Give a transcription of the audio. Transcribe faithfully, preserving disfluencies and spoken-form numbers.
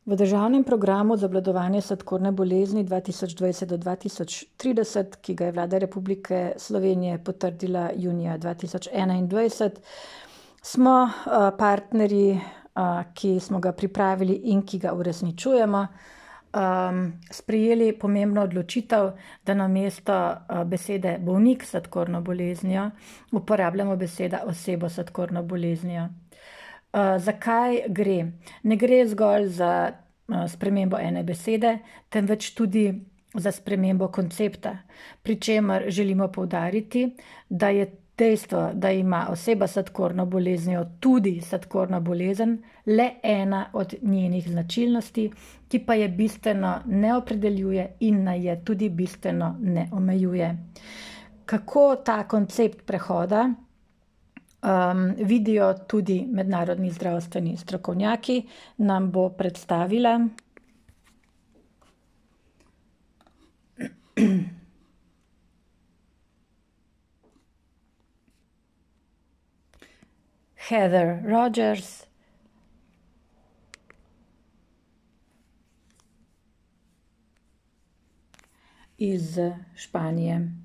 V državnem programu za obvladovanje sladkorne bolezni dva tisoč dvajset do dva tisoč trideset, ki ga je Vlada Republike Slovenije potrdila junija dva tisoč enaindvajset, smo partnerji, ki smo ga pripravili in ki ga uresničujemo, sprejeli pomembno odločitev, da namesto besede bolnik s sladkorno boleznijo uporabljamo besedo oseba s sladkorno boleznijo. Zakaj gre? Ne gre zgolj za spremembo ene besede, temveč tudi za spremembo koncepta, pri čemer želimo poudariti, da je dejstvo, da ima oseba s sladkorno boleznijo tudi sladkorna bolezen, le ena od njenih značilnosti, ki pa je bistveno ne opredeljuje in naj je tudi bistveno ne omejuje. Kako ta koncept prehoda Um, vidijo tudi mednarodni zdravstveni strokovnjaki, nam bo predstavila Heather Rogers iz Španije.